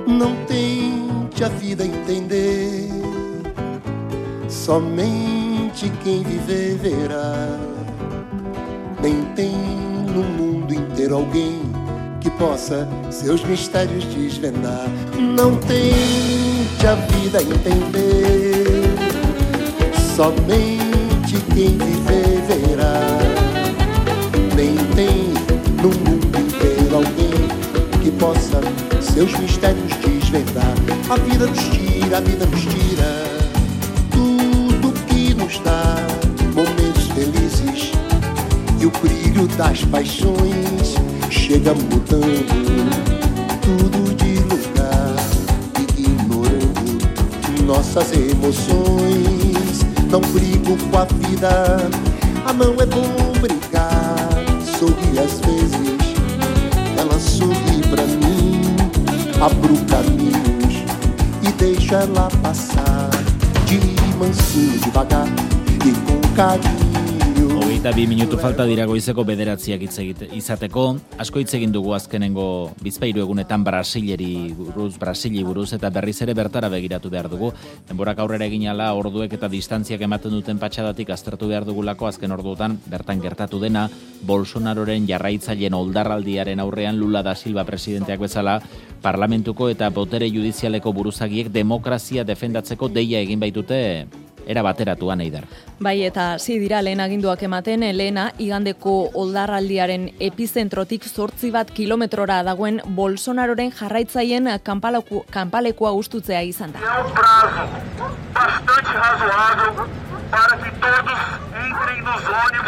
Não tente a vida entender, somente quem viver verá. Nem tem no mundo inteiro alguém que possa seus mistérios desvendar. Não tente a vida entender, somente quem viver verá. Nem tem no mundo inteiro alguém que possa seus mistérios desvendar. A vida nos tira tudo que nos dá momentos felizes, e o brilho das paixões chega mudando tudo de lugar, ignorando nossas emoções. Não brigo com a vida, não é bom brigar. Sorri às vezes, ela sorri pra mim. Abro caminhos e deixo ela passar, de mansinho, devagar e com carinho. 22 minutu falta dira goizeko 9 izateko. Asko hitz egin dugu azkenengo bizpahiru egunetan Brasili buruz eta berriz ere bertara begiratu behar dugu. Denborak aurrera egin ala orduek eta distantziak ematen duten patxadatik aztertu behar dugulako azken orduotan bertan gertatu dena. Bolsonaroren jarraitzaileen oldarraldiaren aurrean Lula da Silva presidenteak bezala parlamentuko eta botere judizialeko buruzagiek demokrazia defendatzeko deia egin baitute era bateratuan Eider. Bai, eta dira lehen aginduak ematen, lehena igandeko oldarraldiaren epizentrotik 8 kilometrora dagoen Bolsonaroren jarraitzaien kanpalekua hustutzea izan da.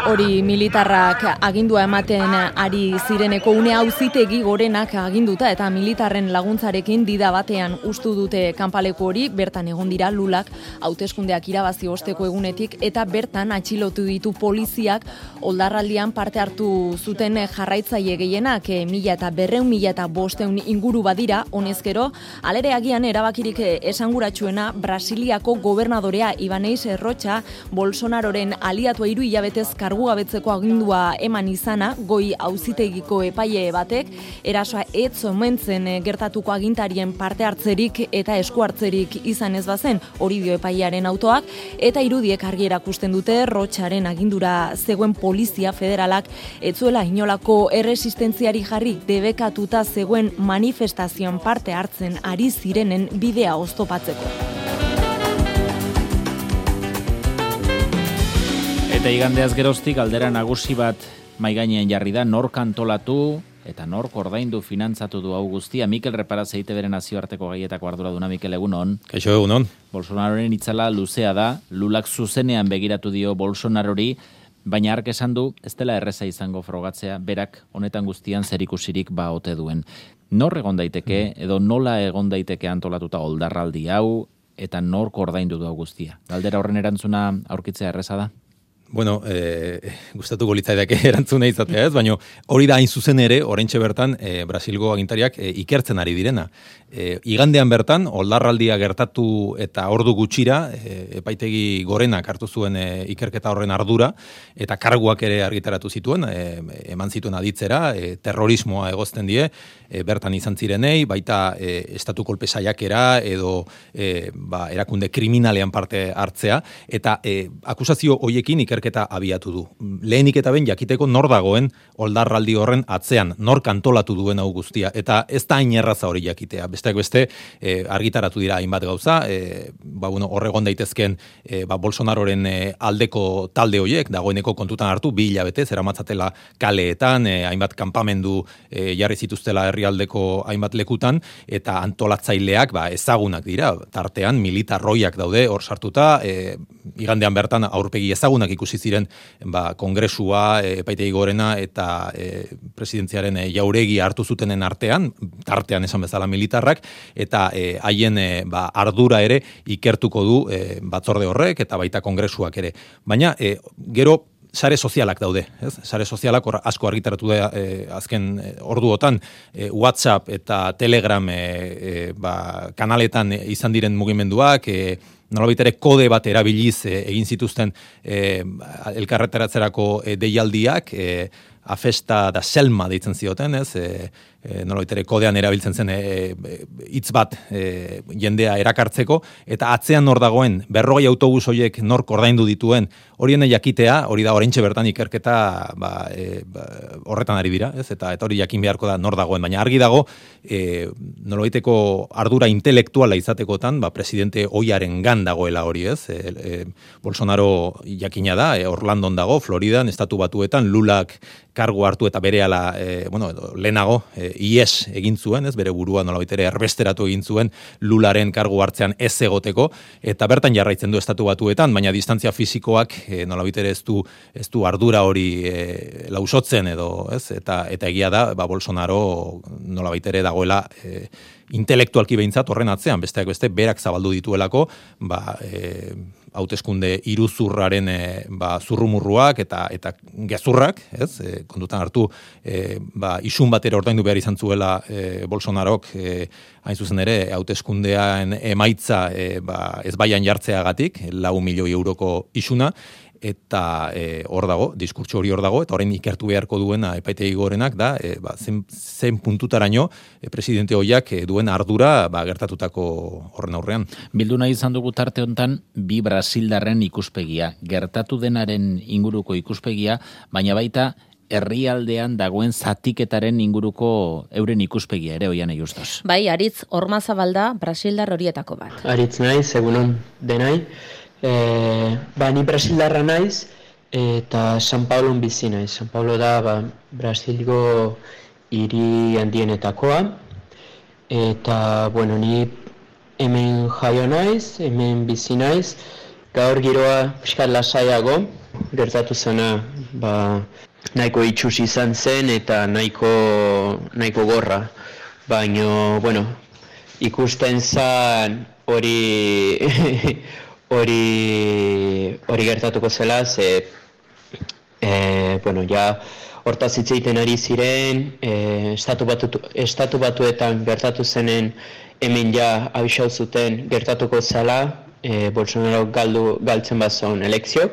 Hori militarrak agindua ematen ari zireneko une auzitegi gorenak aginduta eta militarren laguntzarekin dida batean hustu dute kanpaleku hori. Bertan egon dira Lulak hauteskundeak irabazi osteko egunetik eta bertan atxilotu ditu poliziak oldarraldian parte hartu zuten jarraitzaile gehienak 1.200-1.500 inguru badira. Honezkero, alere agian erabakirik esanguratsuena Brasiliako gobernadorea Ibanez Rocha Bolsonaroren aliatua 3 hilabetez kargugabetzeko agindua eman izana, goi auzitegiko epaile batek erasoa ez omentzen gertatuko agintarien parte hartzerik eta esku hartzerik izan ez bazen, hori dio epailearen autoak, eta irudiek argi erakusten dute Rocharen agindura zegoen polizia federalak etzuela inolako erresistentziari jarri, debekatuta zegoen manifestazioan parte hartzen ari zirenen bidea oztopatzeko. Eta igandeaz geroztik aldera nagusi bat maigainean jarri da, nork antolatu eta nork ordaindu finantzatu du hau guztia. Mikel Reparaz EITBren nazioarteko gaietako arduraduna. Mikel, egunon. Kaixo, egunon. Bolsonaroren itzala luzea da, Lulak zuzenean begiratu dio Bolsonarori, baina hark esan du ez dela erreza izango frogatzea, berak honetan guztian zerikusirik ote duen. Nor egon daiteke edo nola egon daiteke antolatuta oldarraldi hau eta nork ordaindu du hau guztia? Galdera horren erantzuna aurkitzea erreza da? Bueno, gustatuko litzaidake erantzuna izatea ez, baina hori da hain zuzen ere, oraintxe bertan, Brasilgo agintariak ikertzen ari direna. Igandean bertan, oldarraldia gertatu eta ordu gutxira, epaitegi gorenak hartu zuen ikerketa horren ardura, eta karguak ere argitaratu zituen, eman zituen aditzera, terrorismoa egozten die, bertan izan zirenei, baita estatu kolpe saiakera edo erakunde kriminalean parte hartzea, eta akusazio hoiekin ikerketa abiatu du. Lehenik eta behin jakiteko nor dagoen oldarraldi horren atzean, nor kantolatu duen hau guztia, eta ez da hain erraza hori jakitea. Besteak beste, argitaratu dira hainbat gauza, horregon daitezken Bolsonaroren aldeko talde horiek, dagoeneko kontutan hartu, 2 hilabete, zeramatzatela kaleetan, hainbat kanpamendu jarri zituztela herrialdeko hainbat lekutan, eta antolatzaileak ezagunak dira, tartean militarroiak daude hor sartuta, igandean bertan aurpegi ezagunak ikusi ziren kongresua, epaitegi gorena eta presidentziaren jauregi hartu zutenen artean, tartean esan bezala militarrak, eta haien ardura ere ikertuko du batzorde horrek eta baita kongresuak ere. Baina, gero, sare sozialak daude, ez? Sare sozialak asko argitaratu da azken orduotan, WhatsApp eta Telegram kanaletan izan diren mugimenduak, nolabait ere kode bat erabiliz egin zituzten elkarretaratzerako deialdiak, afesta da selma deitzen zioten, ez? Nolaitere kodean erabiltzen zen hitz bat jendea erakartzeko, eta atzean nor dagoen 40 autobus horiek nork ordaindu dituen, horien jakitea, hori da oraintxe bertan ikerketa horretan ari dira, ez? Eta hori jakin beharko da nor dagoen, baina argi dago nolabaiteko ardura intelektuala izatekotan, presidente ohiaren gan dagoela hori, ez? Bolsonaro jakina da, Orlandon dago, Floridan, Estatu Batuetan, Lulak kargu hartu eta berehala, lehenago, IES egin zuen, ez, bere burua nolabaitere erbesteratu egin zuen Lularen kargu hartzean ez egoteko, eta bertan jarraitzen du Estatu Batuetan, baina distantzia fisikoak nolabaitere ez du ardura hori lausotzen edo, ez, eta egia da, Bolsonaro nolabaitere dagoela intelektualki behintzat horren atzean, besteak beste berak zabaldu dituelako, hauteskunde iruzurraren zurrumurruak eta gezurrak, ez? Kontutan hartu isun batera ordaindu behar izan zuela Bolsonarok hain zuzen ere hauteskundean emaitza ez baian jartzeagatik, 4 milioi euroko isuna, eta hor dago, diskurtso hori hor dago, eta orain ikertu beharko duena epaitegi gorenak da, zen puntutaraino presidente hoiak duen ardura gertatutako horren aurrean. Bildu nahi izan dugu tarte hontan bi brasildarren ikuspegia, gertatu denaren inguruko ikuspegia, baina baita herrialdean dagoen zatiketaren inguruko euren ikuspegia ere Oiane Justos. Bai, Aritz Ormazabalda brasildar horietako bat. Aritz naiz, egunon denai. Ni brasildarra naiz eta San Paulon bizi naiz. San Paulo da Brasilgo hiri handienetakoa eta ni hemen jaio naiz, hemen bizi naiz. Gaur giroa pixkat lasaiago, gertatu zena nahiko itxus izan zen eta nahiko gorra. Baina, ikusten zen hori gertatuko zela, hortaz hitz egiten ari ziren, Estatu Batuetan gertatu zenen hemen abisau zuten gertatuko zela, Bolsonaro galtzen bazon elekziok,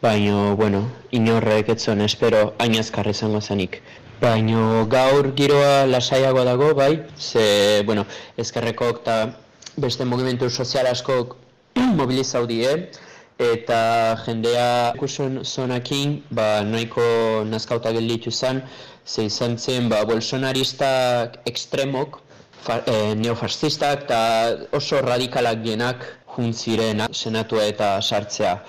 baina, inorrek etzon espero hain azkar izango zenik. Baina gaur giroa lasaiago dago, bai, ezkerrekok eta beste mugimendu sozial askok mobilizau die, eta jendea ikusun zonakin nahiko nazkauta gelditu zen, ze izan zen bolsonaristak ekstremok, neofascistak eta oso radikalak dienak juntziren senatua eta sartzea.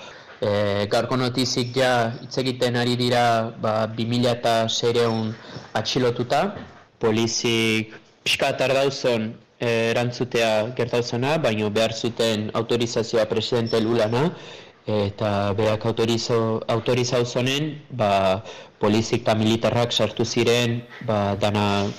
Gaurko notizik hitz egiten ari dira 2006 atxilotuta, polizik pixkat ardauzon erantzutea gertauzena, baina behar zuten autorizazioa presidente Lulana, eta berak autorizau zonen, polizik eta militarrak sartu ziren, dana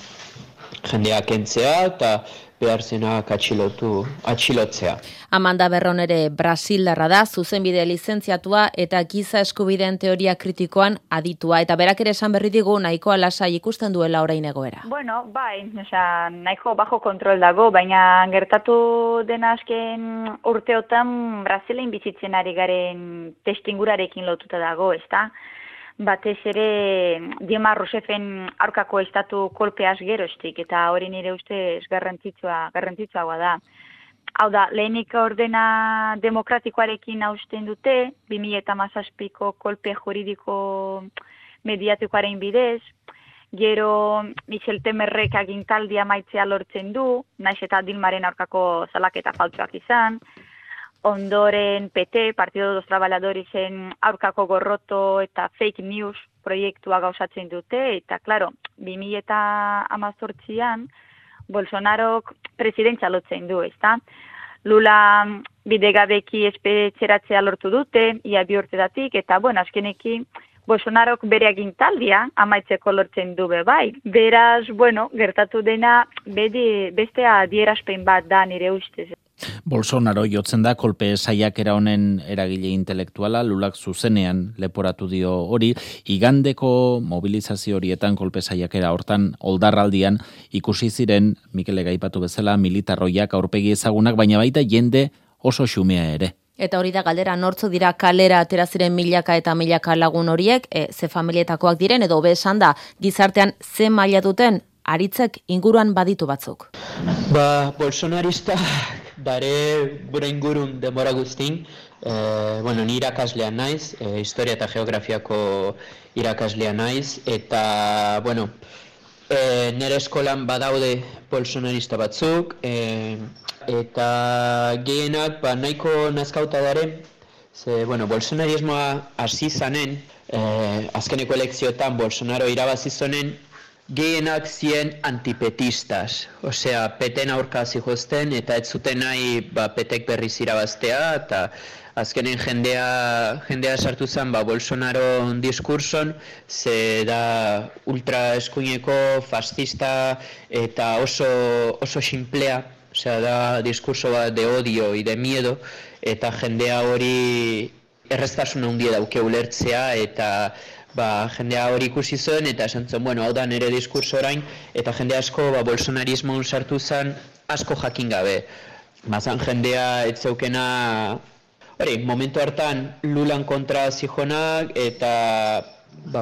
jendeak entzea, eta behar zenak atxilotzea. Amanda Berron ere brasildarra da, zuzenbide lizentziatua eta giza eskubideen teoria kritikoan aditua. Eta berak ere esan berri digu nahikoa lasai ikusten duela orain egoera. Bai, nahiko bajo kontrol dago, baina gertatu dena azken urteotan Brasilein bizitzen ari garen testingurarekin lotuta dago, ezta? Batez ere Dilma Rousseffen aurkako estatu kolpeaz geroztik, eta hori nire ustez garrantzitsuagoa da. Hau da, lehenik ordena demokratikoarekin hausten dute, 2017ko kolpe juridiko mediatikoaren bidez, gero Michel Temerrek agintaldia maitzea lortzen du, naiz eta Dilmaren aurkako salaketa faltsuak izan, ondoren PT, Partido dos Traballadoresen aurkako gorroto eta fake news proiektua gauzatzen dute, eta, klaro, 2018an Bolsonarok presidentzia lotzen du, ezta? Lula bidegabeki espetxeratzea lortu dute, ia 2 urtedatik, eta, azkenekin Bolsonarok bere agintaldia amaitzeko lortzen du bai. Beraz, gertatu dena beste adierazpen bat da nire ustez. Bolsonaro jotzen da kolpe saiakera honen eragile intelektuala, Lulak zuzenean leporatu dio hori, igandeko mobilizazio horietan kolpe saiakera hortan oldarraldian ikusi ziren, Mikelek aipatu bezala, militarroiak aurpegi ezagunak, baina baita jende oso xumea ere. Eta hori da galdera, nortzu dira kalera atera ziren milaka eta milaka lagun horiek, ze familietakoak diren, edo hobe esan da, gizartean ze maila duten, aritzek inguruan baditu batzuk. Bolsonarista, bere ingurun denbora guztin, ni irakaslea naiz, historia eta geografiako irakaslea naiz, eta, nire eskolan badaude bolsonarista batzuk, eta gehienak nahiko nazkauta daren, bolsonarismoa hasi zanen, azkeneko elekzioetan Bolsonaro irabazi zonen, gehienak zien antipetistas, osea, peten aurka zihozten, eta ez zuten nahi petek berriz irabaztea, eta azkenen jendea sartu zen Bolsonaro diskurson, ze da ultra eskuineko, fascista, eta oso simplea, osea, da diskurso bat de odio y de miedo, eta jendea hori erreztasuna handia dauke ulertzea, eta jendea hori ikusi zuen, eta esan zuen, hau da nire diskurso orain, eta jende asko bolsonarismoan sartu zen asko jakin gabe. Bazan jendea ez zeukena, momentu hartan Lulan kontra zijonak, eta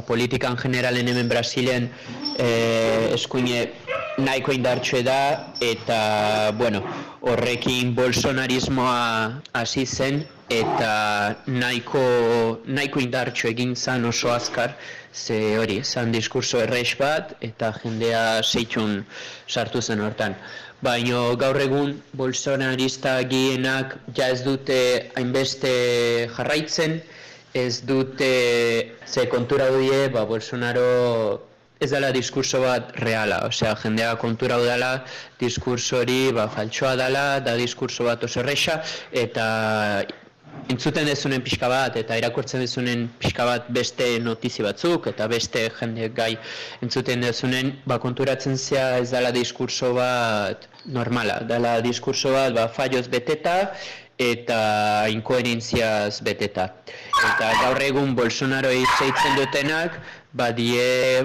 politikan generalen hemen Brasilen eskuine nahiko indartxue da, eta horrekin bolsonarismoa hasi zen, eta nahiko indartxu egin zan oso azkar, ze hori, zan diskurso errex bat, eta jendea seitxun sartu zen hortan. Baina gaur egun bolsonarista gehienak ja ez dute hainbeste jarraitzen, ez dute ze kontura dute, Bolsonaro ez dela diskurso bat reala, osea, jendea kontura dela, diskurso hori faltsoa dela, da diskurso bat oso erreixa, eta entzuten dezunen pixka bat, eta irakurtzen dezunen pixka bat beste notizi batzuk, eta beste jende gai entzuten dezunen, konturatzen zea ez dela diskurso bat normala, dela diskurso bat falloz beteta, eta inkoherentziaz beteta. Eta gaur egun Bolsonaro zeitzen dutenak,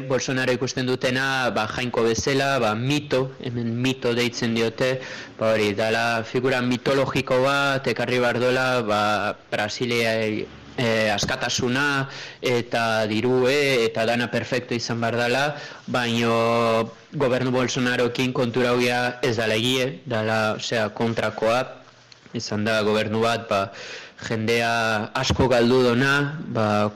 Bolsonaro ikusten dutena jainko bezala, mito, hemen mito deitzen diote, hori, dala figura mitologiko bat, ekarri behar dola, Brasilia askatasuna, eta dirue, eta dana perfecto izan behar dela, baina gobernu Bolsonarokin kontura hoia ez dala egie, dala, kontrakoa, izan da gobernu bat, jendea asko galdu dona,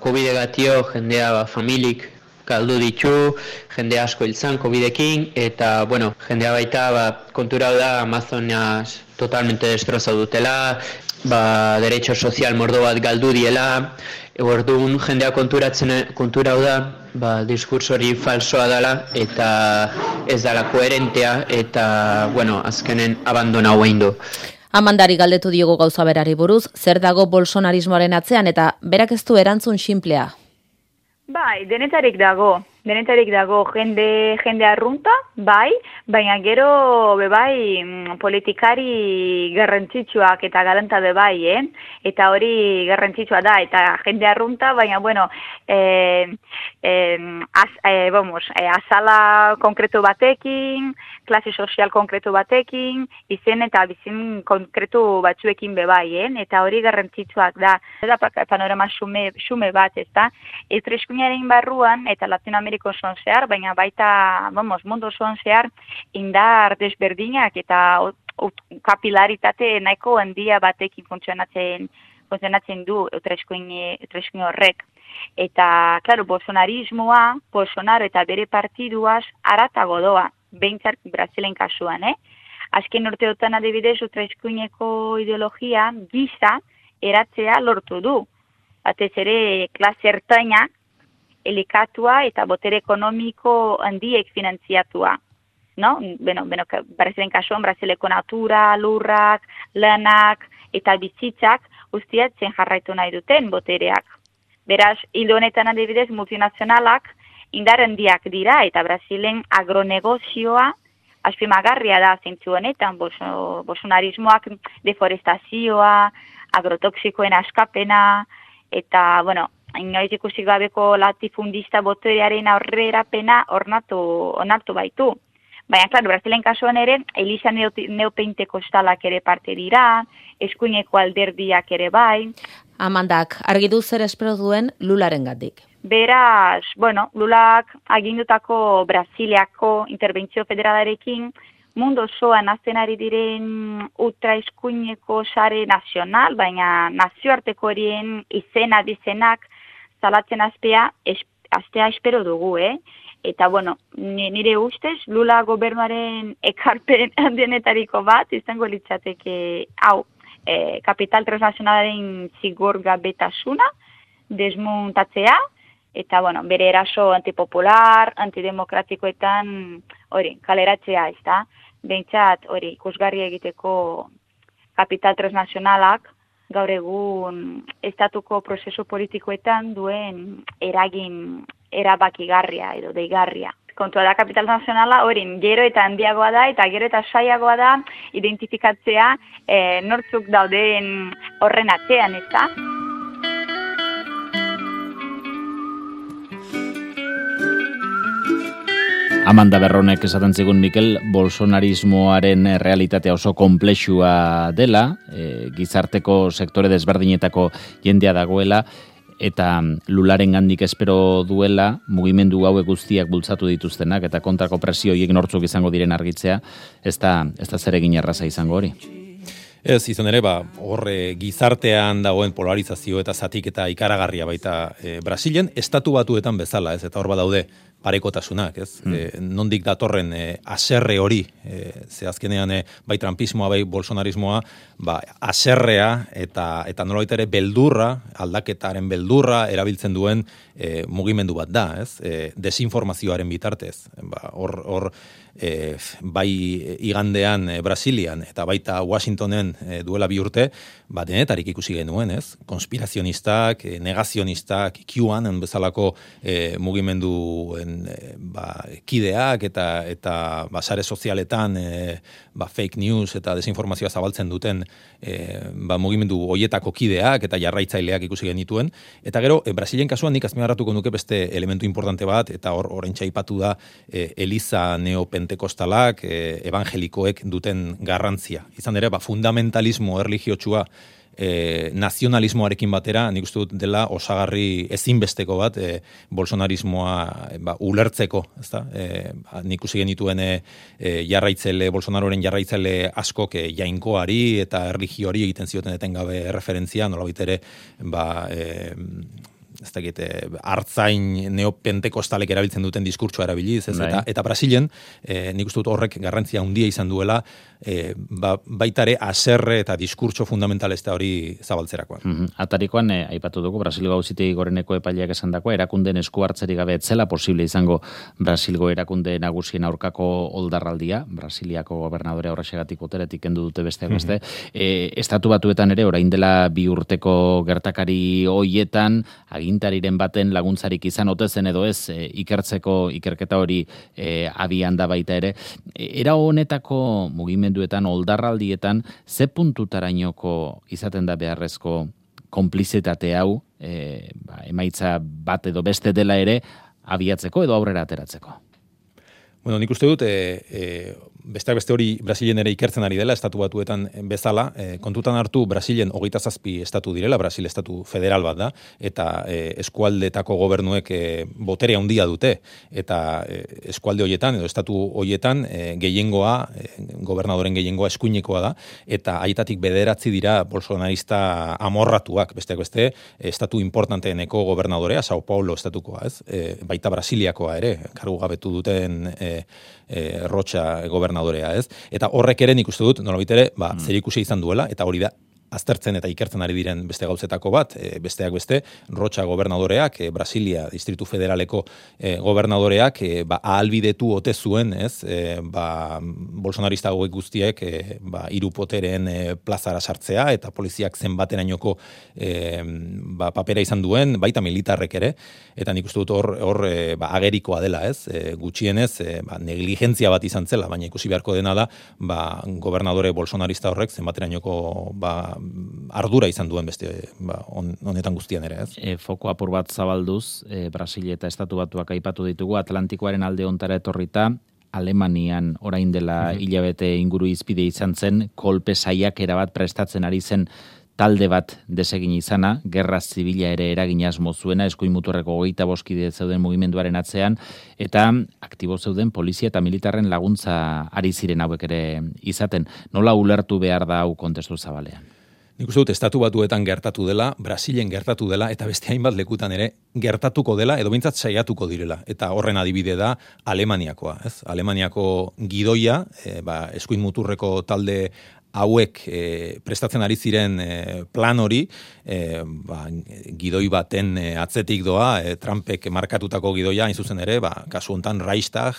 COVID-egatio jendea familik galdu ditu, jende asko hiltzan COVID-ekin, eta, jendea baita kontura da Amazonas totalmente destrozau dutela, derecho sozial mordo bat galdu diela, orduan jendea kontura da, diskurso hori falsoa dela, eta ez dela koherentea, eta, azkenen abandona hauen du. Amandari galdetu diogo gauza berari buruz, zer dago bolsonarismoaren atzean, eta berak ez du erantzun sinplea? Denetarik dago jende arrunta, baina gero politikari garrantzitsuak eta galanta eta hori garrantzitsua da, eta jende arrunta, baina azala konkretu batekin, klase sozial konkretu batekin, izen eta bizin konkretu batzuekin eta hori garrantzitsuak da. Eta panorama xume bat, ez da? Eskuinaren barruan eta Latinoameriko osoan zehar, baina baita, mundu osoan zehar, indar desberdinak eta kapilaritate nahiko handia batekin funtzionatzen du eskuin horrek. Eta, klaro, Bolsonaro eta bere partiduaz aratago doa, behintzat Brasilen kasuan, Azken urteotan adibidez, eskuineko ideologia giza eratzea lortu du. Batez ere, klase ertainak, elikatua eta botere ekonomiko handiek finantziatua. Brasilen kasuan, Brasileko natura, lurrak, lanak eta bizitzak guztiatzen jarraitu nahi duten botereak. Beraz, hildo honetan adibidez multinazionalak indar handiak dira eta Brasilen agronegozioa azpimagarria da zentzu honetan, bolsonarismoak deforestazioa, agrotoxikoen askapena, eta, inoiz ikusi gabeko latifundista boterearen aurrerapena onartu baitu. Baina, klaro, Brasilen kasuan ere, Elisa neopentekostalak ere parte dira, eskuineko alderdiak ere bai. Amandak, argitu zer espero duen Lularen gatik. Beraz, bueno, Lulak agindutako Brasiliako interbentzio federalarekin mundu osoan azten ari diren ultraeskuineko sare nazional, baina nazioarteko horien izena bizenak zalatzen aztea espero dugu, Eta, bueno, nire ustez, Lula gobernuaren ekarpen handienetariko bat, izango litzateke, kapital transnazionalaren zigorgabetasuna, desmuntatzea, eta, bueno, bere eraso antipopular, antidemokratikoetan, kaleratzea, ez da? Behintzat, ikusgarri egiteko kapital transnazionalak, gaur egun estatuko prozesu politikoetan duen eragin erabakigarria edo deigarria. Kontua da kapital nazionala gero eta handiagoa da eta gero eta saiagoa da identifikatzea nortzuk dauden horren atzean, ez da? Amanda Berronek esaten zigun Mikel, bolsonarismoaren realitatea oso konplexua dela, gizarteko sektore desberdinetako jendea dagoela, eta Lularen gandik espero duela, mugimendu hauek guztiak bultzatu dituztenak, eta kontrako presio horiek nortzuk izango diren argitzea, ez da zeregin erraza izango hori. Ez, izan ere, horre gizartean dagoen polarizazio eta zatik eta ikaragarria baita Brasilen, estatu batuetan bezala, ez, eta hor badaude parekotasunak, ez? Nondik datorren aserre hori, ze azkenean bai trumpismoa, bai bolsonarismoa, aserrea eta nolabait ere beldurra, aldaketaren beldurra erabiltzen duen mugimendu bat da, ez? Desinformazioaren bitartez. Hor bai igandean Brasilian eta baita Washingtonen duela 2 urte, denetarik ikusi genuen, ez? Konspirazionistak, negazionistak, QAnon bezalako mugimenduen kideak eta sare sozialetan fake news eta desinformazioa zabaltzen duten mugimendu hoietako kideak eta jarraitzaileak ikusi genituen. Eta gero, Brasilen kasuan nik azpimarratuko nuke beste elementu importante bat, eta oraintxe aipatu da Eliza neopentekostalak, evangelikoek duten garrantzia. Izan ere, fundamentalismo erlijiotsua nazionalismoarekin batera, nik uste dut dela osagarri ezinbesteko bat bolsonarismoa ulertzeko, ezta? Nik usi genituen Bolsonaroren jarraitzaile askok jainkoari eta erlijioari egiten zioten etengabe referentzia, nolabait ere, ez dakit, hartzain neopentekostalek erabiltzen duten diskurtsoa erabiliz, ez? Eta Brasilen, nik uste dut horrek garrantzia handia izan duela, baitare aserre eta diskurtso fundamentalista hori zabaltzerakoan. Atarikoan, aipatu dugu, Brasilgo Auzitegi Goreneko epaileak esandakoa, erakundeen esku hartzerik gabe etzela posible izango Brasilgo erakunde nagusien aurkako oldarraldia, Brasiliako gobernadorea horrexegatik boteretik kendu dute besteak beste. Estatu Batuetan ere, orain dela 2 urteko gertakari hoietan, agintariren baten laguntzarik izan ote zen edo ez, ikerketa hori abian da baita ere. Era honetako mugimenduetan, oldarraldietan, ze puntutarainoko izaten da beharrezko konplizitate hau, emaitza bat edo beste dela ere, abiatzeko edo aurrera ateratzeko? Bueno, nik uste dut, besteak beste hori Brasilen ere ikertzen ari dela, estatu batuetan bezala, kontutan hartu Brasilen 27 estatu direla, Brasil estatu federal bat da, eta eskualdetako gobernuek botere handia dute, eta eskualde horietan, edo estatu horietan, gehiengoa, gobernadoren gehiengoa eskuinekoa da, eta haietatik 9 dira bolsonarista amorratuak, besteak beste, estatu importanteeneko gobernadorea, Sao Paulo estatukoa, ez? Baita Brasiliakoa ere, kargu gabetu duten Rocha gobernadorea, ez? Eta horrek ere nik uste dut, nolabait ere, zerikusia izan duela, eta hori da aztertzen eta ikertzen ari diren beste gauzetako bat, besteak beste, Rocha gobernadoreak, Brasilia Distritu Federaleko gobernadoreak, ahalbidetu ote zuen, ez? Bolsonarista hauek guztiek, 3 potereen plazara sartzea, eta poliziak zenbaterainoko papera izan duen, baita militarrek ere, eta nik uste dut hor agerikoa dela, ez? Gutxienez, negligentzia bat izan zela, baina ikusi beharko dena da, gobernadore bolsonarista horrek zenbaterainoko ardura izan duen beste honetan guztian ere, ez? Foko apur bat zabalduz, Brasil eta Estatu Batuak aipatu ditugu, Atlantikoaren alde ontara etorrita, Alemanian orain dela hilabete inguru izpide izan zen, kolpe saiakera bat prestatzen ari zen talde bat desegin izana, gerra zibila ere eragin asmo zuena, eskuin muturreko 25 kide zeuden mugimenduaren atzean, eta aktibo zeuden polizia eta militarren laguntza ari ziren hauek ere izaten. Nola ulertu behar da hau kontestu zabalean? Nik uste dut, Estatu Batuetan gertatu dela, Brasilen gertatu dela, eta beste hainbat lekutan ere gertatuko dela, edo behintzat saiatuko direla. Eta horren adibide da Alemaniakoa. Ez? Alemaniako gidoia, eskuin muturreko talde hauek prestatzen ari ziren plan hori, gidoi baten atzetik doa, Trumpek markatutako gidoia, hain zuzen ere, kasu hontan Reichstag,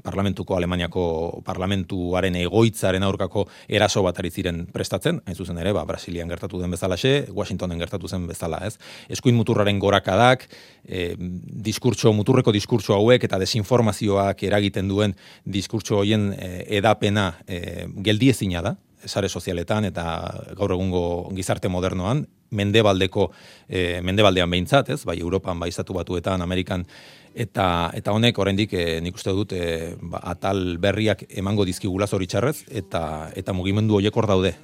parlamentuko Alemaniako parlamentuaren egoitzaren aurkako eraso bat ari ziren prestatzen, hain zuzen ere, Brasilian gertatu den bezalaxe, Washingtonen gertatu zen bezala, ez? Eskuin muturraren gorakadak, muturreko diskurtso hauek eta desinformazioak eragiten duen diskurtso hoien edapena geldiezina da, sare sozialetan eta gaur egungo gizarte modernoan, mendebaldean behintzat, ez? Bai Europan, bai Estatu Batuetan, Amerikan, eta honek oraindik nik uste dut atal berriak emango dizkigula zoritxarrez, eta mugimendu horiek hor daude.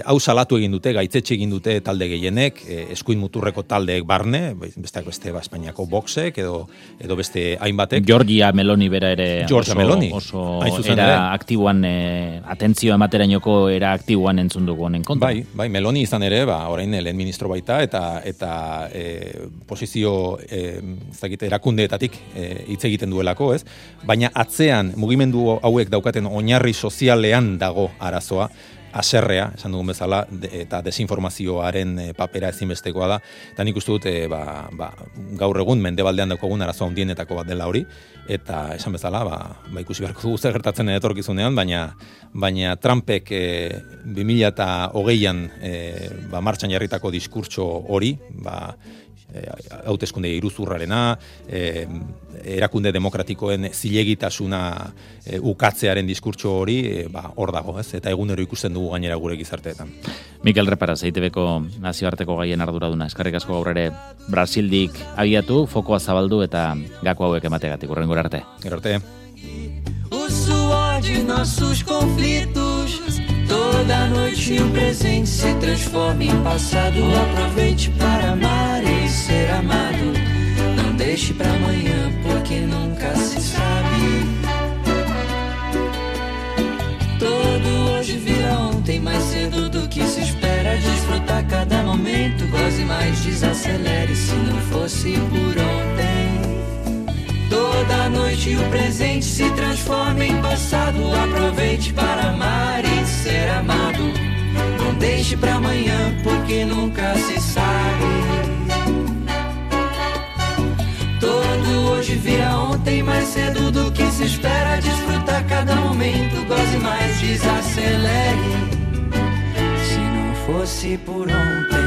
Hau salatu egin dute, gaitzetxe egin dute talde gehienek, eskuin muturreko taldeek barne, besteak beste Espainiako boxek, edo beste hainbatek. Giorgia Meloni bera ere oso era aktiboan, atentzioa ematerainoko era aktiboan entzun dugu honen kontra. Bai, Meloni izan ere, orain lehen ministro baita, eta posizio erakundeetatik hitz egiten duelako, ez? Baina atzean mugimendu hauek daukaten oinarri sozialean dago arazoa, haserrea, esan dugun bezala, eta desinformazioaren papera ezinbestekoa da, eta nik uste dut gaur egun mendebaldean daukagun arazoa handienetako bat dela hori, eta esan bezala, ikusi beharko dugu zer gertatzen etorkizunean, baina Trumpek 2020an martxan jarritako diskurtso hori, hauteskunde iruzurrarena, erakunde demokratikoen zilegitasuna ukatzearen diskurtso hori, hor dago, ez? Eta egunero ikusten dugu gainera gure gizarteetan. Mikel Reparaz, EITBko nazioarteko gaien arduraduna, eskerrik asko gaur ere Brasildik abiatu, fokoa zabaldu eta gako hauek emategatik, hurrengora arte. Gero arte. O suor de nossos conflitos, toda noite o presente se transforma em passado. Aproveite para amar e ser amado. Não deixe para amanhã, porque nunca se sabe. Todo hoje vira ontem, mais cedo do que se espera. Desfrutar cada momento, goze mais, desacelere. Se não fosse por ontem, toda noite o presente se transforma em passado. Aproveite para amar e ser amado. Não deixe para amanhã, porque nunca se sabe. Todo hoje vira ontem, mais cedo do que se espera. Desfrutar cada momento, goze mais, desacelere. Se não fosse por ontem.